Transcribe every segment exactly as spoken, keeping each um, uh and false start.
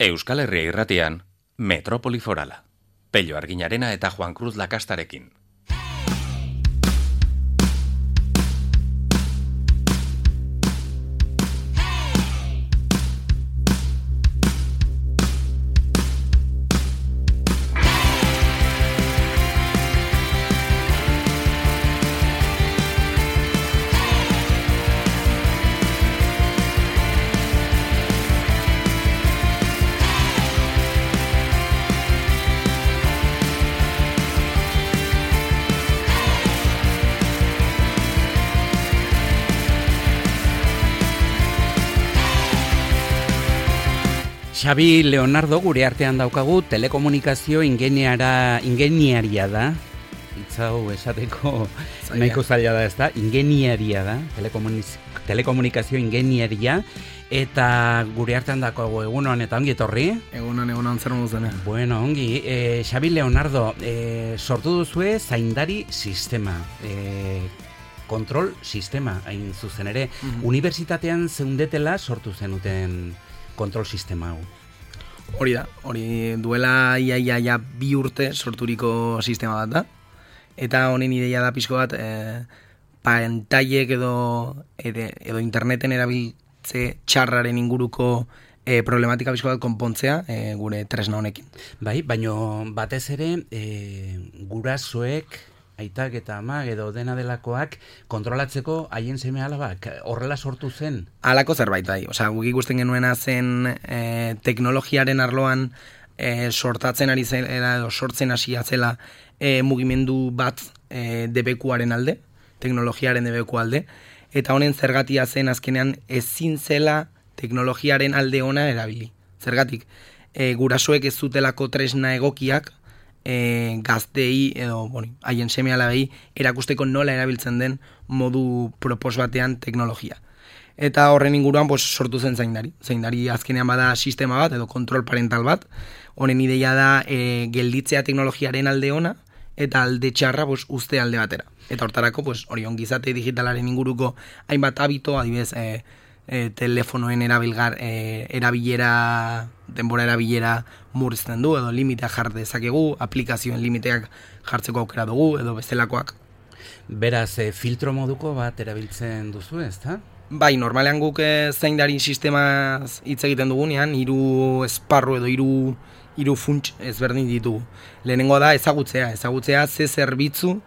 Euskal Herria irratian, Metropoli Forala. Pello Arginarena eta Juan Cruz Lakastarekin. Xabi Leonardo gure artean daukagu, telekomunikazio ingeniara, ingeniaria da. Hitz hau esateko nahiko zaila da, ez da? Ingeniaria da, telekomunikazio ingeniaria. Eta gure artean daukagu egunon eta ongi etorri. Egunon, egunon, zer moduz dena. Bueno, ongi. E, Xabi Leonardo, e, sortu duzue zaindari sistema. E, kontrol sistema, hain zuzen ere. Mm-hmm. Unibertsitatean zeundetela sortu zenuten kontrol sistema hau. Hori da, hori duela ia, ia, ia bi urte sorturiko sistema bat da. Eta honen ideia da pixko bat, e, pantailek edo, edo, edo interneten erabiltze txarraren inguruko e, problematika pixko bat konpontzea e, gure tresna honekin. Bai, baino batez ere e, gurasoek, aitak eta amak edo dena delakoak kontrolatzeko haien seme alabak horrela sortu zen? Halako zerbait bai, osea, guk ikusten genuena zen e, teknologiaren arloan e, sortatzen ari zela edo sortzen hasia zela e, mugimendu bat e, debekuaren alde, teknologiaren debeku alde, eta honen zergatia zen azkenean ezin zela teknologiaren alde ona erabili. Zergatik, e, gurasoek ez zutelako tresna egokiak E, gaztei edo bueno, haien seme alabei erakusteko nola erabiltzen den modu propos batean teknologia. Eta horren inguruan pues, sortu zen zaindari. Zaindari azkenean bada sistema bat edo kontrol parental bat. Honen ideia da e, gelditzea teknologiaren alde ona eta alde txarra pues, uste alde batera. Eta hortarako pues, hori ongizate digitalaren inguruko hainbat habito, adibidez e, E, telefonoen erabilgar, e, erabilera, denbora erabilera murrizten du, edo limiteak jar dezakegu, aplikazioen limiteak jartzeko aukera dugu, edo bestelakoak. Beraz, e, filtro moduko bat erabiltzen duzu, ez da? Bai, normalean guk zaindari sistemaz hitz egiten dugunean, hiru esparru edo hiru hiru funts ezberdin ditugu. Lehenengo da ezagutzea, ezagutzea ze zerbitzu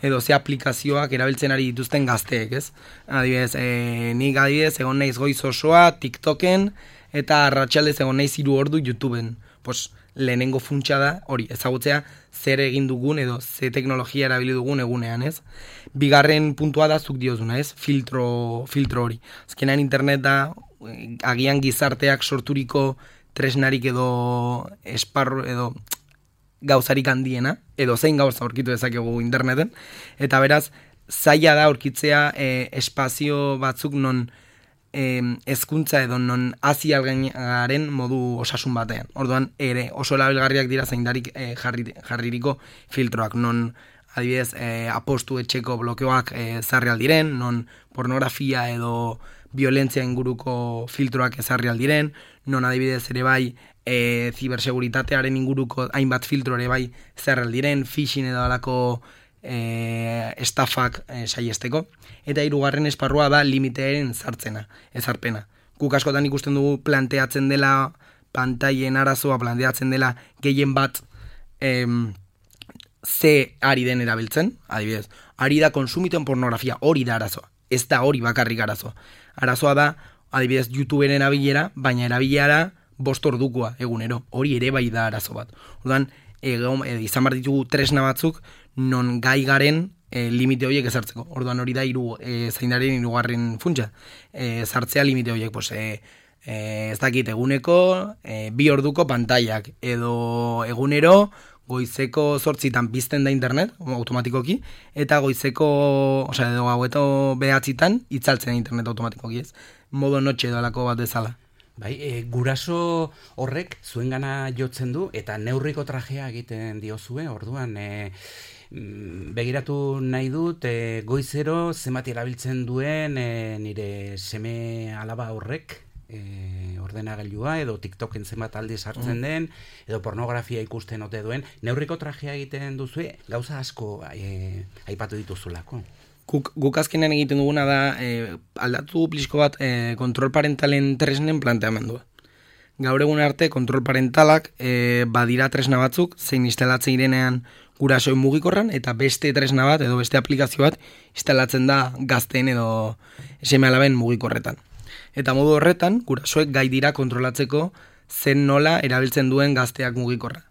edo ze aplikazioak erabiltzen ari dituzten gazteek, ez? Adibidez, e, nik adibidez egon naiz goiz osoa TikToken eta arratsaldez egon naiz hiru ordu YouTubeen. Pues lehenengo funtsa da hori, ezagutzea zer egin dugun edo ze teknologia erabili dugun egunean, ez? Bigarren puntua da zuk diozuna, ez? Filtro, filtro hori. Azkenean internet da agian gizarteak sorturiko tresnarik edo esparru edo gauzarik handiena, edo zein gauza aurkitu dezakegu interneten, eta beraz, zaila da aurkitzea e, espazio batzuk non e, hezkuntza edo non hazi algaren modu osasun batean. Orduan, ere oso erabilgarriak dira zaindarik e, jarri, jarririko filtroak, non adibidez e, apostu etxeko blokeoak e, ezarri aldiren, non pornografia edo violentzia inguruko filtroak ezarri aldiren, non adibidez ere bai E, ziberseguritatearen inguruko hainbat filtro ere bai zerraldiren, phishing edo alako e, estafak e, saiesteko. Eta hirugarren esparrua da limitearen zartzena, ezarpena. Guk askotan ikusten dugu planteatzen dela pantailen arazoa, planteatzen dela gehien bat em, ze ari den erabiltzen, adibidez, ari da konsumituen pornografia, hori da arazoa, ez da hori bakarrik arazoa. Arazoa da, adibidez, YouTuberen erabilera, baina erabilera bost ordukoa egunero, hori ere bai da arazo bat. Orduan, e, e, izan behar ditugu tresna batzuk, non gai garen e, limite horiek ezartzeko. Orduan hori da iru, e, zaindaren hirugarren funtsa. E, zartzea limite horiek, pues, e, e, ez dakit eguneko, e, bi orduko pantailak, edo egunero, goizeko zortzitan pizten da internet, automatikoki, eta goizeko, osea, edo gaueto behatzitan, itzaltzen da internet automatikoki, ez? Modo notxe edo alako bat bezala. Bai, e, guraso horrek zuengana jotzen du eta neurriko trajea egiten diozue, orduan e, begiratu nahi dut e, goizero zenbat erabiltzen duen e, nire seme alaba horrek e, ordenagailua, edo TikToken zenbat aldi sartzen den, edo pornografia ikusten ote duen, neurriko trajea egiten duzu, gauza asko e, aipatu dituzulako. Guk, guk azkenean egiten duguna da, e, aldatu plisko bat e, kontrol parentalen tresnen planteamendua. Gaur egun arte, kontrol parentalak e, badira tresna batzuk, zein instalatzen irenean gurasoen mugikorran, eta beste tresna bat, edo beste aplikazio bat, instalatzen da gazteen edo seme alaben mugikorretan. Eta modu horretan, gurasoek gai dira kontrolatzeko zen nola erabiltzen duen gazteak mugikorra.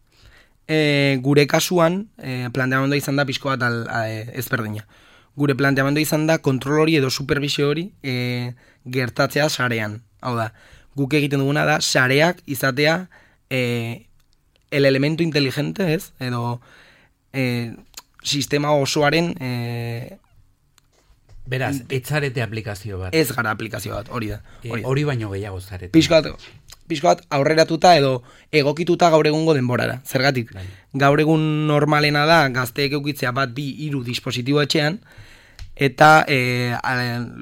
E, gure kasuan, e, planteamendua izan da pixko bat al, a, e, ezberdina. Gure planteamendua izan da kontrol hori edo supervisio hori e, gertatzea sarean. Hau da, guk egiten duguna da sareak izatea e, el elemento inteligente, ez? Edo e, sistema osoaren e, beraz, etzarete aplikazio bat. Ez gara aplikazio bat, hori da. Hori, e, hori baino gehiago zarete. Pixko bat, pixko bat aurreratuta edo egokituta gaur egungo denborara. Zergatik, bai. Gaur egun normalena da gazteek eukitzea bat bi hiru dispositibo etxean, eta e,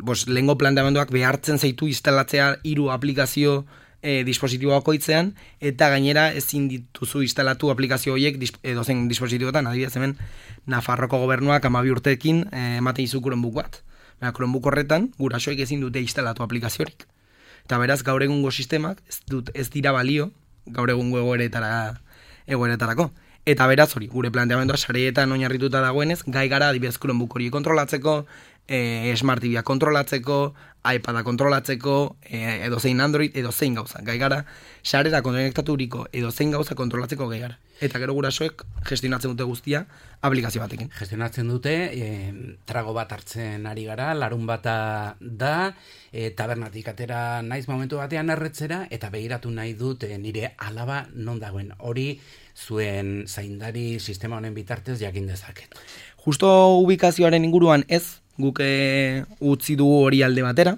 bos, lehengo planteamenduak behartzen zaitu instalatzea hiru aplikazio e, dispositibo bakoitzean, eta gainera ezin dituzu instalatu aplikazio horiek edozein dispositiboetan, adibidez hemen Nafarroko gobernuak hamabi urteekin e, ematen izu Chromebook bat. Baina Chromebook horretan gurasoek ezin dute instalatu aplikaziorik. Eta beraz gaur egungo sistemak ez, dut, ez dira balio gaur egungo egoeretara, egoeretarako. Eta beraz hori, gure planteamendua sareetan oinarrituta dagoenez, gai gara adibidez Chromebook hori kontrolatzeko, e, Smart T V-a kontrolatzeko, iPad-a kontrolatzeko, e, edo zein Android, edo zein gauza. Gai gara, sarera konektaturiko edo zein gauza kontrolatzeko gai gara. Eta gero gurasoek gestionatzen dute guztia aplikazio batekin. Gestionatzen dute, e, trago bat hartzen ari gara, larun bata da, e, tabernatik atera naiz momentu batean erretzera, eta begiratu nahi dut e, nire alaba non dagoen. Hori zuen zaindari sistema honen bitartez jakin dezaket. Justo ubikazioaren inguruan ez, guk e, utzi dugu hori alde batera,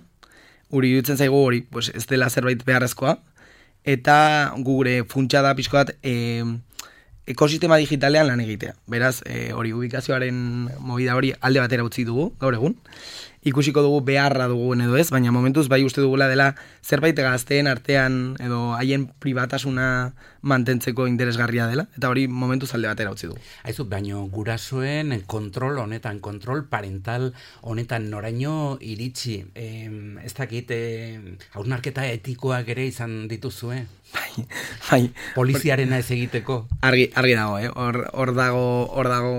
hori dutzen zaigu hori pues, ez dela zerbait beharrezkoa, eta gure funtsa da pixko bat e, ekosistema digitalean lan egitea. Beraz, e, hori ubikazioaren movida hori alde batera utzi dugu, gaur egun. Ikusiko dugu beharra dugun edo ez, baina momentuz bai uste dugula dela zerbait gazteen artean edo haien pribatasuna mantentzeko interesgarria dela, eta hori momentuz alde batera utzi dugu. Aizu, baino gurasoen kontrol honetan, kontrol parental honetan noraino iritsi, e, ez dakit, e, hausnarketa etikoak ere izan dituzue? Bai, bai. Poliziarena ez egiteko. Argi, argi dago, eh? Hor, hor dago, hor dago,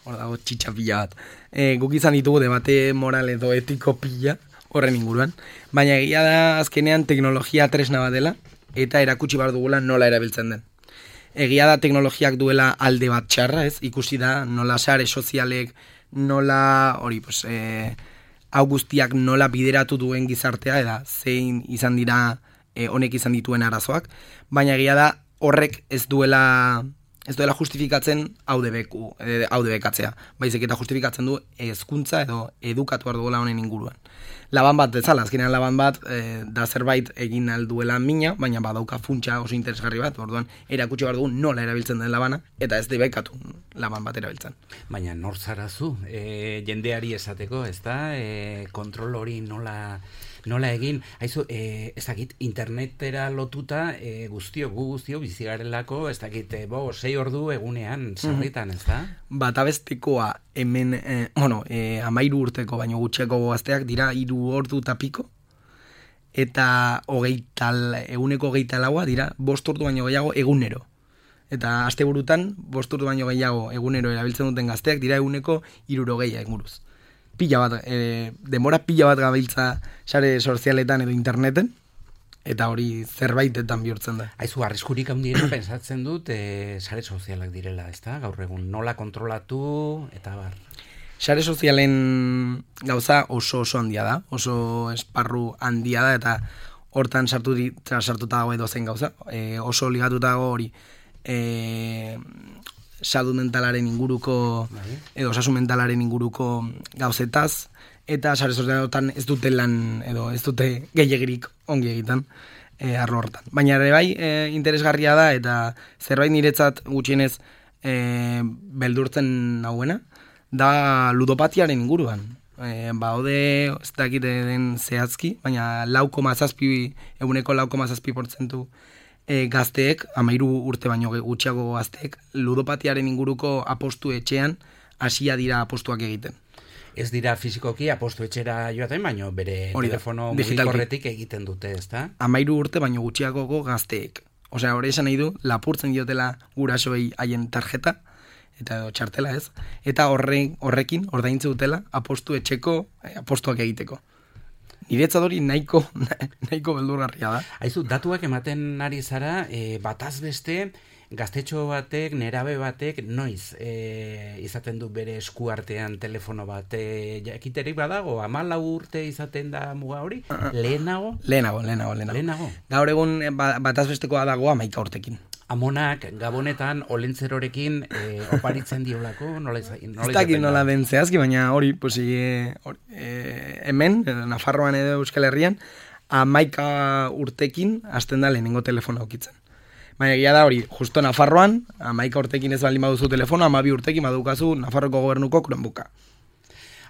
hor dago txitxapila bat. E, guk izan ditugu debate moral edo etiko pila horren inguruan, baina egia da azkenean teknologia tresna bat dela, eta erakutsi behar dugula nola erabiltzen den. Egia da teknologiak duela alde bat txarra, ez? Ikusi da nola sare sozialek, nola hori, pues, e, hau guztiak nola bideratu duen gizartea, eta zein izan dira e, honek izan dituen arazoak, baina egia da horrek ez duela ez duela justifikatzen hau debeku, hau debekatzea. Baizik eta justifikatzen du hezkuntza edo edukatu behar duela honen inguruan. Laban bat bezala, azkenean laban bat e, da zerbait egin alduela mina, baina badauka funtsa oso interesgarri bat, orduan erakutsi behar dugu nola erabiltzen den labana, eta ez debekatu laban bat erabiltzen. Baina nor zarazu, e, jendeari esateko, ez da, e, kontrol hori nola... Nola egin, haizu, e, ez dakit, internetera lotuta e, guztio, gu guztio bizigarelako, ez dakit, e, bo, sei ordu egunean sarritan, ez da? Bat abestekoa hemen, e, bueno, e, amairu urteko, baino gutxeko gazteak dira hiru ordu tapiko, eta hogeita, eguneko hogeita laua dira bost ordu baino gehiago egunero. Eta asteburutan bost ordu baino gehiago egunero erabiltzen duten gazteak dira eguneko hirurogeia inguruz. Pila bat, e, denbora pila bat gabiltza sare sozialetan edo interneten, eta hori zerbaitetan bihurtzen da. Aizu, arriskurik handiena pensatzen dut e, sare sozialak direla, ez da? Gaur egun nola kontrolatu eta bar. Sare sozialen gauza oso oso handia da, oso esparru handia da, eta hortan sartu sartuta dago edo zen gauza, e, oso ligatuta dago hori, e, salud mentalaren inguruko, edo osasun mentalaren inguruko gauzetaz, eta sare sozialetan ez dute lan, edo ez dute gehiegirik ongi egiten e, arlo hortan. Baina ere bai e, interesgarria da, eta zerbait niretzat gutxienez e, beldurtzen nahuena, da ludopatiaren inguruan. E, baude, ez dakite den zehazki, baina lau koma zazpi, eguneko lau koma zazpi portzentu e, gazteek, amairu urte baino gutxiago gazteek, ludopatiaren inguruko apostu etxean hasia dira apostuak egiten. Ez dira fizikoki apostu etxera joaten, baino bere Hori da, telefono digitalki. mugikorretik egiten dute, ezta? Amairu urte baino gutxiagoko gazteek. Osea, hori esan nahi du, lapurtzen diotela gurasoei haien tarjeta, eta edo txartela ez, eta horre, horrekin ordaintze dutela apostu etxeko eh, apostuak egiteko. Niretzat hori nahiko, nahiko beldurgarria da. Aizu, datuak ematen ari zara, e, bataz beste, gaztetxo batek, nerabe batek, noiz e, izaten du bere esku artean telefono bat, e, jakiterik badago, hamalau urte izaten da muga hori? Lehenago? Lehenago, lehenago, lehenago. Lehenago. Gaur egun eh, ba- bataz bestekoa dago hamaika urtekin. Amonak gabonetan olentzerorekin e, oparitzen diolako, nola izan? Ez dakit nola den zehazki, baina hori, pues, e, hori, e, hemen, e, Nafarroan edo Euskal Herrian, hamaika urtekin hasten da lehenengo telefono aukitzen. Baina egia da hori, justo Nafarroan, hamaika urtekin ez baldin baduzu telefono, hamabi urtekin badukazu Nafarroko gobernuko Chromebooka.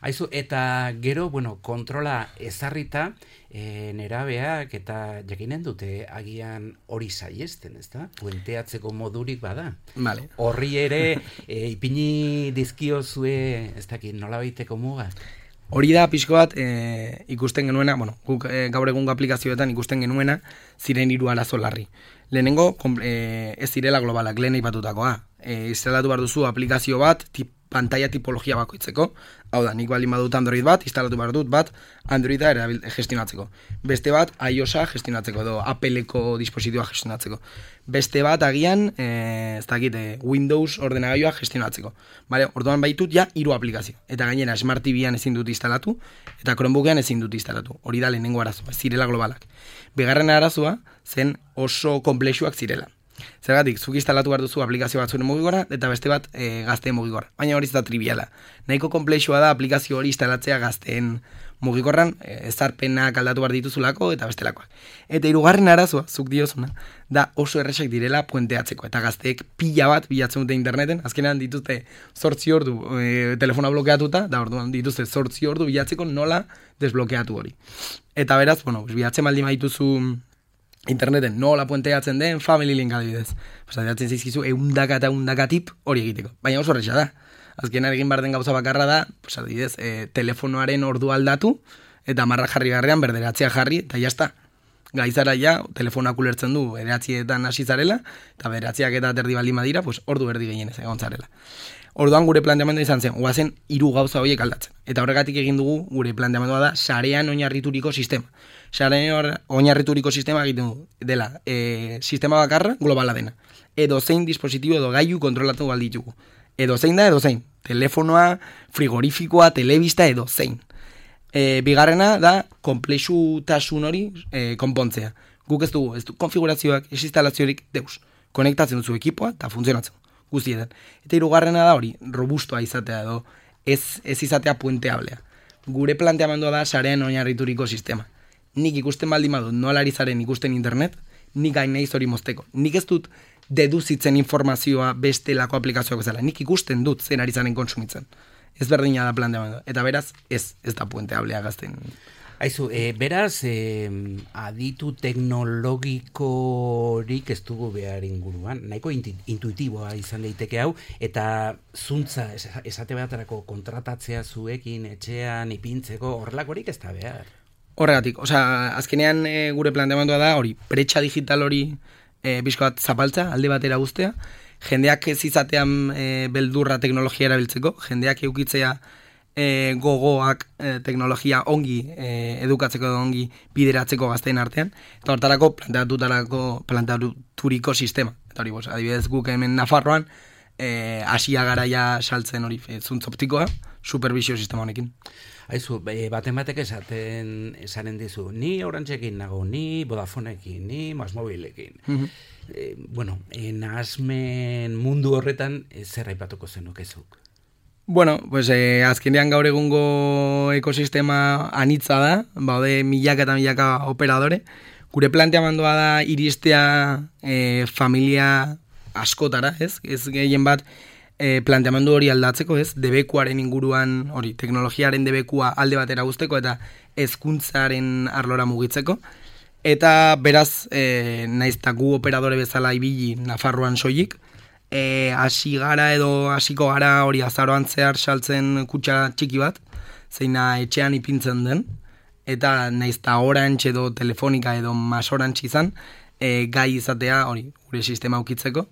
Aizu, eta gero, bueno, kontrola ezarrita, e, nerabeak eta jakinen dute agian hori saiesten, ezta? Puenteatzeko modurik bada. Vale. Horri ere, e, ipini dizkiozue, ez dakit, nola baiteko mugak? Hori da pixko bat e, ikusten genuena, bueno, guk e, gaur egungo aplikazioetan ikusten genuena ziren hiru arazo larri. Lehenengo, kom, e, ez zirela globalak, lehen aipatutakoa. E, instalatu behar duzu aplikazio bat, tip, pantalla tipologia bakoitzeko. Hau da, nik baldin badut Android bat, instalatu behar dut bat, Androida erabil, gestionatzeko. Beste bat, iOS-a gestionatzeko, edo Apple-eko dispositiboa gestionatzeko. Beste bat, agian, e, ez dakit, e, Windows ordenagailoa gestionatzeko. Vale, orduan baitut ja hiru aplikazio. Eta gainera, Smart T V-an ezin dut instalatu, eta Chromebookean ezin dut instalatu. Hori da lehenengo arazoa, ez zirela globalak. Bigarren arazoa, zen oso komplexuak zirela. Zergatik, zuk instalatu behar duzu aplikazio bat zure mugikora, eta beste bat e, gazteen mugikora. Baina hori ez da triviala. Nahiko komplexua da aplikazio hori instalatzea gazteen mugikorran, e, ezarpenak aldatu behar dituzulako, eta bestelakoak. Eta hirugarren arazoa, zuk diozuna, da oso erresak direla puenteatzeko. Eta gazteek pila bat bilatzen dute interneten, azkenean dituzte zortzi ordu e, telefona blokeatuta, da orduan dituzte zortzi ordu bilatzeko nola desblokeatu hori. Eta beraz, bueno, bilatzen baldin baituzu interneten nola puenteatzen den family link adibidez. Pues adiratzen zaizkizu eundaka eta eundaka tip hori egiteko. Baina oso horretxa da. Azkenean egin behar den gauza bakarra da, pues adibidez, e, telefonoaren ordu aldatu, eta marra jarri garrean berderatzea jarri, eta jazta. Gaizara ja, telefonak ulertzen du, bederatzietan hasi zarela, eta bederatziak eta terdi baldin badira, pues ordu erdi gehienez egon zarela. Orduan gure planteamendua izan zen, guazen hiru gauza horiek aldatzen. Eta horregatik egin dugu gure planteamendua da sarean oinarrituriko sistema. Sarean oinarrituriko sistema egiten du dela e, sistema bakarra globala dena. Edo zein dispositibo edo gailu kontrolatu balditugu. Edo zein da, edo zein. Telefonoa, frigorifikoa, telebista, edo zein. E, bigarrena da konplexutasun hori e, konpontzea. Guk ez dugu, ez du konfigurazioak, ez instalaziorik deus. Konektatzen duzu ekipoa eta funtzionatzen guztietan. Eta hirugarrena da hori, robustoa izatea edo ez, ez izatea puenteablea. Gure planteamendua da sarean oinarrituriko sistema. Nik ikusten baldin badut nola ari zaren ikusten internet, nik gain nahiz hori mozteko. Nik ez dut deduzitzen informazioa bestelako aplikazioak bezala. Nik ikusten dut zen ari zaren kontsumitzen. Ez berdina da planteamendua. Eta beraz, ez, ez da puenteablea gazten. Aizu, e, beraz, e, aditu teknologikorik ez dugu behar inguruan, nahiko intuitiboa izan daiteke hau, eta zuntza, esate baterako kontratatzea zuekin, etxean, ipintzeko, horrelakorik ez da behar. Horregatik, osea, azkenean e, gure planteamendua da hori, bretxa digital hori e, bizko bat zapaltza, alde batera guztea, jendeak ez izatean e, beldurra teknologia erabiltzeko, jendeak eukitzea E, gogoak e, teknologia ongi e, edukatzeko edo ongi bideratzeko gazteen artean, eta hortarako planteatutarako planteaturiko sistema. Eta hori, bos, adibidez guk hemen Nafarroan e, asia garaia saltzen hori e, zuntz optikoa, supervisio sistema honekin. Aizu, e, baten batek esaten esaren dizu, ni Orantzekin nago, ni Vodafonekin, ni Masmobilekin. Mm-hmm. e, bueno, e, nahasmen mundu horretan e, zer aipatuko zenukezuk? Bueno, pues eh, azkenean gaur egungo ekosistema anitza da, baude milaka eta milaka operadore. Gure planteamendua da iristea eh, familia askotara, ez? Ez gehien bat e, planteamendu hori aldatzeko, ez? Debekuaren inguruan, hori, teknologiaren debekua alde batera guzteko eta hezkuntzaren arlora mugitzeko. Eta beraz, e, naiz eta gu operadore bezala ibili Nafarroan soilik, e, hasi gara edo hasiko gara hori azaroan zehar saltzen kutxa txiki bat, zeina etxean ipintzen den, eta naiz eta Orange edo Telefonika edo Mas Orange izan, e, gai izatea hori gure sistema ukitzeko,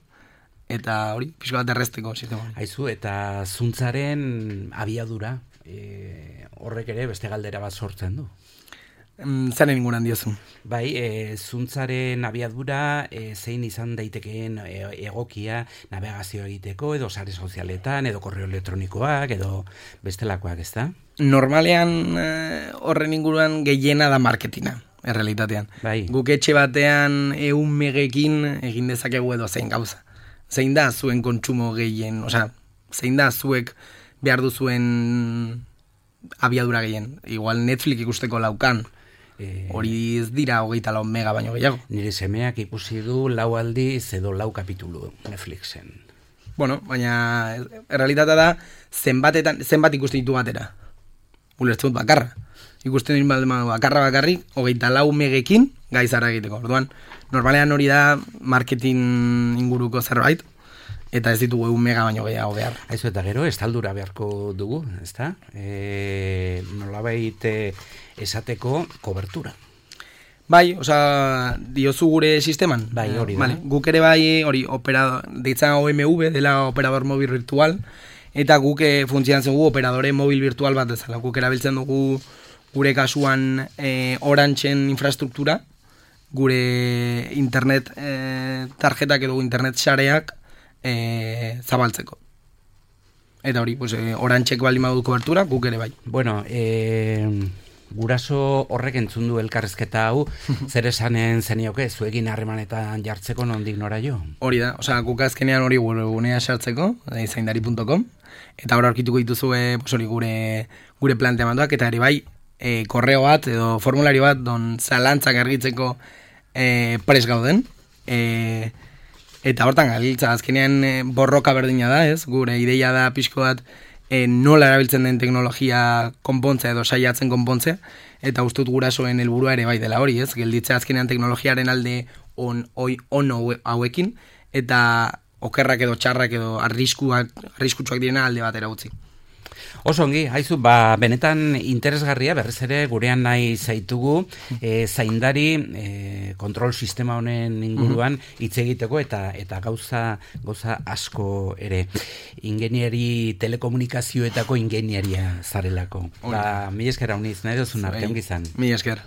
eta hori, pixko bat errezteko sistema hori. Aizu, eta zuntzaren abiadura, e, horrek ere beste galdera bat sortzen du. Zaren inguran diozu. Bai, e, zuntzaren abiadura e, zein izan daitekeen e, egokia navegazio egiteko, edo sare sozialetan, edo korreo elektronikoak, edo bestelakoak, ez da? Normalean e, horren inguruan gehiena da marketina, errealitatean. Bai. Guk etxe batean eun megekin egin dezakegu edo zein gauza. Zein da zuen kontsumo gehien, osea, zein da zuek behar duzuen abiadura gehien. Igual Netflix ikusteko laukan, hori ez dira hogeita lau mega baino gehiago. Nire semeak ikusi du lau aldiz edo lau kapitulu Netflixen. Bueno, baina errealitatea da zenbatetan, zenbat ikusten ditu batera. Ulertzen dut bakarra. Ikusten dut bakarra bakarrik, hogeita lau megekin gaizara egiteko. Orduan, normalean hori da marketing inguruko zerbait, eta ez ditugu egun mega baino gehiago behar. Aizu, eta gero, estaldura beharko dugu, ezta? E, nolabait esateko kobertura. Bai, osea, diozu gure sisteman? Bai, hori da. Vale. Guk ere bai, hori, operador, deitzen O M V, dela operador mobil virtual, eta guk funtzionatzen dugu operadore mobil virtual bat ezala. Guk erabiltzen dugu gure kasuan e, Orangeen infrastruktura, gure internet e, tarjetak edo internet sareak e, zabaltzeko. Eta hori, pues, e, Orangeek baldin badu kobertura, guk ere bai. Bueno, e, guraso horrek entzun du elkarrezketa hau, zer esanen zenioke, zuekin harremanetan jartzeko nondik nora jo? Hori da, osea, guk azkenean hori gunea sartzeko, zaindari puntu com, eta hor aurkituko dituzue pues, hori gure, gure planteamenduak, eta ere bai, e, korreo bat edo formulario bat don zalantzak argitzeko e, pres gauden, e, eta hortan galiltza, azkenean e, borroka berdina da, ez? Gure ideia da pixko bat e, nola erabiltzen den teknologia konpontzea edo saiatzen konpontzea, eta ustut gurasoen helburua ere bai dela hori, ez? Gelditzea azkenean teknologiaren alde on, oi, on hauekin, eta okerrak edo txarrak edo arriskuak, arriskutsuak direna alde batera utzi. Oso ongi, haizu, ba, benetan interesgarria, berriz ere gurean nahi zaitugu, e, zaindari e, kontrol sistema honen inguruan hitz egiteko eta eta gauza gauza asko ere. Ingenieri telekomunikazioetako ingenieria zarelako. Ba, mila esker hauniz, nahi duzun arte, ongi zan. Mila esker.